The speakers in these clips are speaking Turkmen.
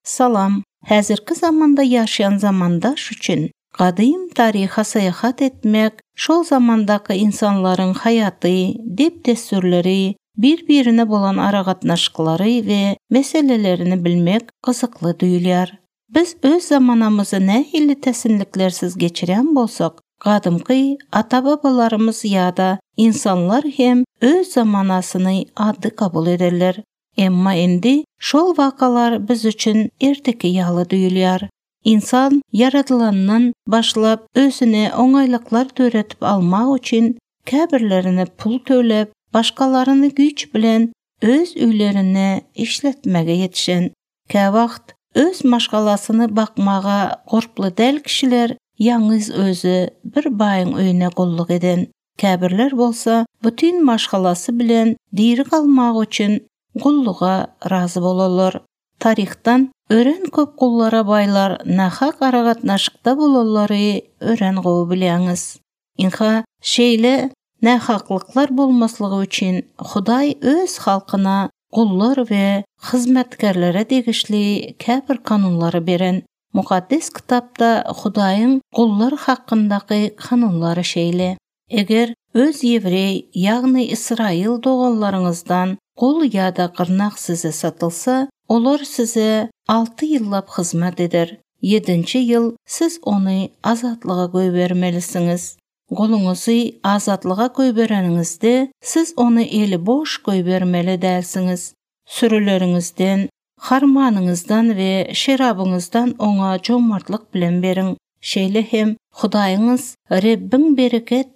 Salam! Häzirki zamanda ýaşaýan zamandaş üçin gadym taryha syýahat etmek, şol zamandaky ynsanlaryň haýaty, dep-dessurlary, bir-birine bolan aragatnaşyklary we meselelerini bilmek gyzykly duýulýar. Biz öz zamanamyzy nähili täsinliklersiz geçirýän bolsak, gadymky ata-babalarymyz ýa-da ynsanlar hem öz zamanasyny addy kabul ederler. Emma indi şol wakalar biz üçin erteki ýaly duýulýar. Ynsan ýaradylandan başlap özüne oňaýlyklar döredip almak üçin käbirlerine pul töläp, başgalaryny güýç bilen öz öýlerinde işletmäge ýetişen. Käwagt öz maşgalasyny bakmaga gurply däl kişiler ýalňyz özi bir baýyň öýüne gulluk eden. Käbirler bolsa bütin maşgalasy bilen diri galmak üçin gulluga razy bolarlar. Taryhdan örän köp gullara baýlar nahak aragatnaşykda bolanlary örän gowy bilýäňiz. Ynha, şeýle nähaklyklar bolmaslygy üçin Hudaý öz halkyna gullar we hyzmatkärlere degişli käbir kanunlary beren. Mukaddes Kitapda Hudaýyň gullar hakyndaky kanunlary şeýle, Eger öz ýewreý, ýagny ysraýyl doganlaryňyzdan gul ýa-da gyrnak size satylsa, olar size alty ýyllap hyzmat eder, ýedinji ýyl siz ony azatlyga goýbermelisiňiz. Guluňyzy azatlyga goýbereniňizde, siz ony eli boş goýbermeli dälsiňiz. Sürüleriňizden, Harmanyňyzdan we şerabyňyzdan oňa jomartlyk bilen beriň. Şeýle hem Hudaýyňyz Rebbiň bereket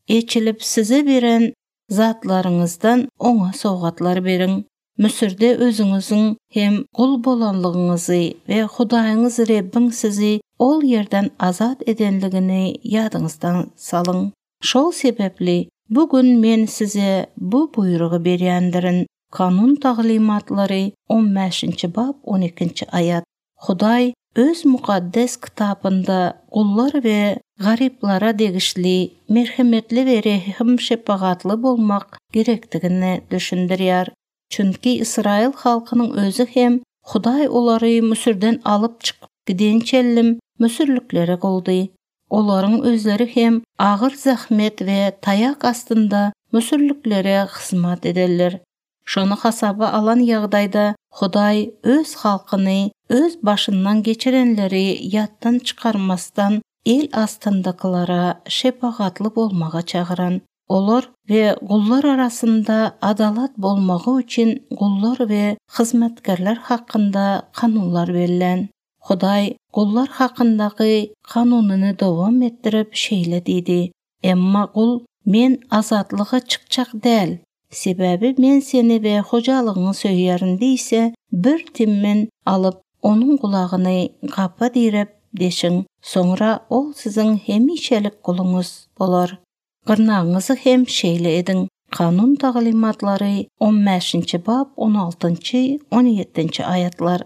eçilip size beren zatlaryňyzdan oňa sowgatlar beriň. Müsürde özüňiziň hem gul bolanlygyňyzy we Hudaýyňyz Rebbiň sizi ol ýerden azat edenligini ýadyňyzdan salyň. Şol sebäpli bu gün men size bu buýrugy berýändirin, Kanun taglymatlary on bäşinji bap on ikinji aýat. Hudaý Öz Mukaddes Kitapynda gullar we garyplara degişli merhemetli we rehim-şepagatly bolmak gerekdigini düşündirýär. Çünki ysraýyl halkynyň özi hem Hudaý olary Müsürden alyp çykyp gidençellim müsürliklere guldy. Olaryň özleri hem agyr zähmet we taýak astynda müsürliklere hyzmat ederler. Şony hasaba alan ýagdaýda Hudaý öz halkyny öz başyndan geçirenleri ýatdan çykarmasdan el astyndakylara şepagatly bolmaga çagyran. Olar we gullar arasynda adalat bolmagy üçin gullar we hyzmatkarlar hakynda kanunlar bellän. Hudaý gullar hakyndaky kanunyny dowam etdirip şeýle diýdi, Emma gul, Men azatlyga çykjak däl, sebäbi men seni we hojalygyňy söýýärin diýse, bir timmen alyp, onuň gulagyny gapa diräp deşiň, soňra ol siziň hemişelik guluňyz bolar. Gyrnagyňyzy hem şeýle ediň. Kanun taglymatlary on bäşinji bap on altynjy, on ýedinji aýatlar.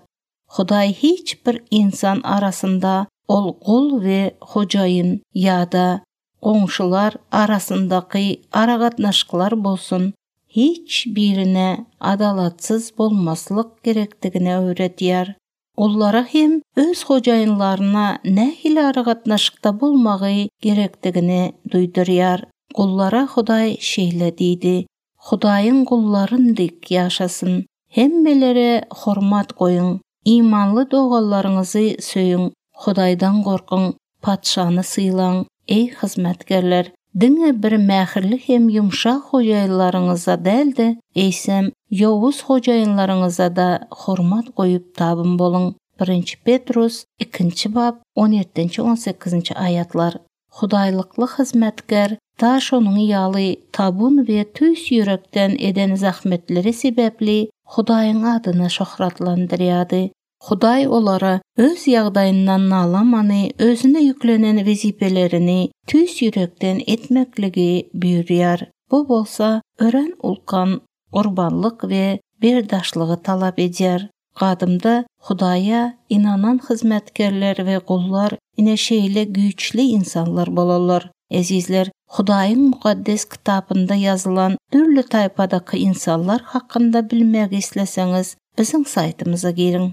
Hudaý hiç bir ynsan arasynda ol gul we hojaýyn ýa-da goňşular arasyndaky aragatnaşyklar bolsun, hiç birine adalatsyz bolmaslyk gerekdigini öwredýär. Gullara hem öz hojaýynlaryna nähili aragatnaşykda bolmagy gerekdigini duýdurýar. Gullara Hudaý şeýle diýdi, Hudaýyň gullaryn dek ýaşasyn. Hemmelere hormat goýuň. Imanly doganlaryňyzy söýüň. Hudaýdan gorkuň. Patyşany sylaň. Eý, hyzmatkerler, diňe bir mähirli hem ýumşak hojaýynlaryňyza däl-de, eýsem, ýowuz hojaýynlaryňyza-da hormat goýup tabyn boluň. Birinji Petrus, ikinji bap, on ýedinji, on sekizinji aýatlar. Hudaýlykly hyzmatkär da şonuň ýaly tabyn we tüýs ýürekden eden zähmetleri sebäpli Hudaýyň adyny şöhratlandyrýardy. Hudaý olara öz ýagdaýyndan nalamany, özüne ýüklenen wezipelerini tüýs ýürekden etmekligi buýurýar. Bu bolsa örän ulkan gurbanlyk we berdaşlygy talap edýär. Gadymda Hudaýa ynanan hyzmatkerler we gullar ine şeýle güýçli ynsanlar bolarlar. Ezizler, Hudaýyň Mukaddes Kitapynda ýazylan dürli taýpadaky ynsanlar hakynda bilmegi isleseňiz, biziň saýtymyza giriň.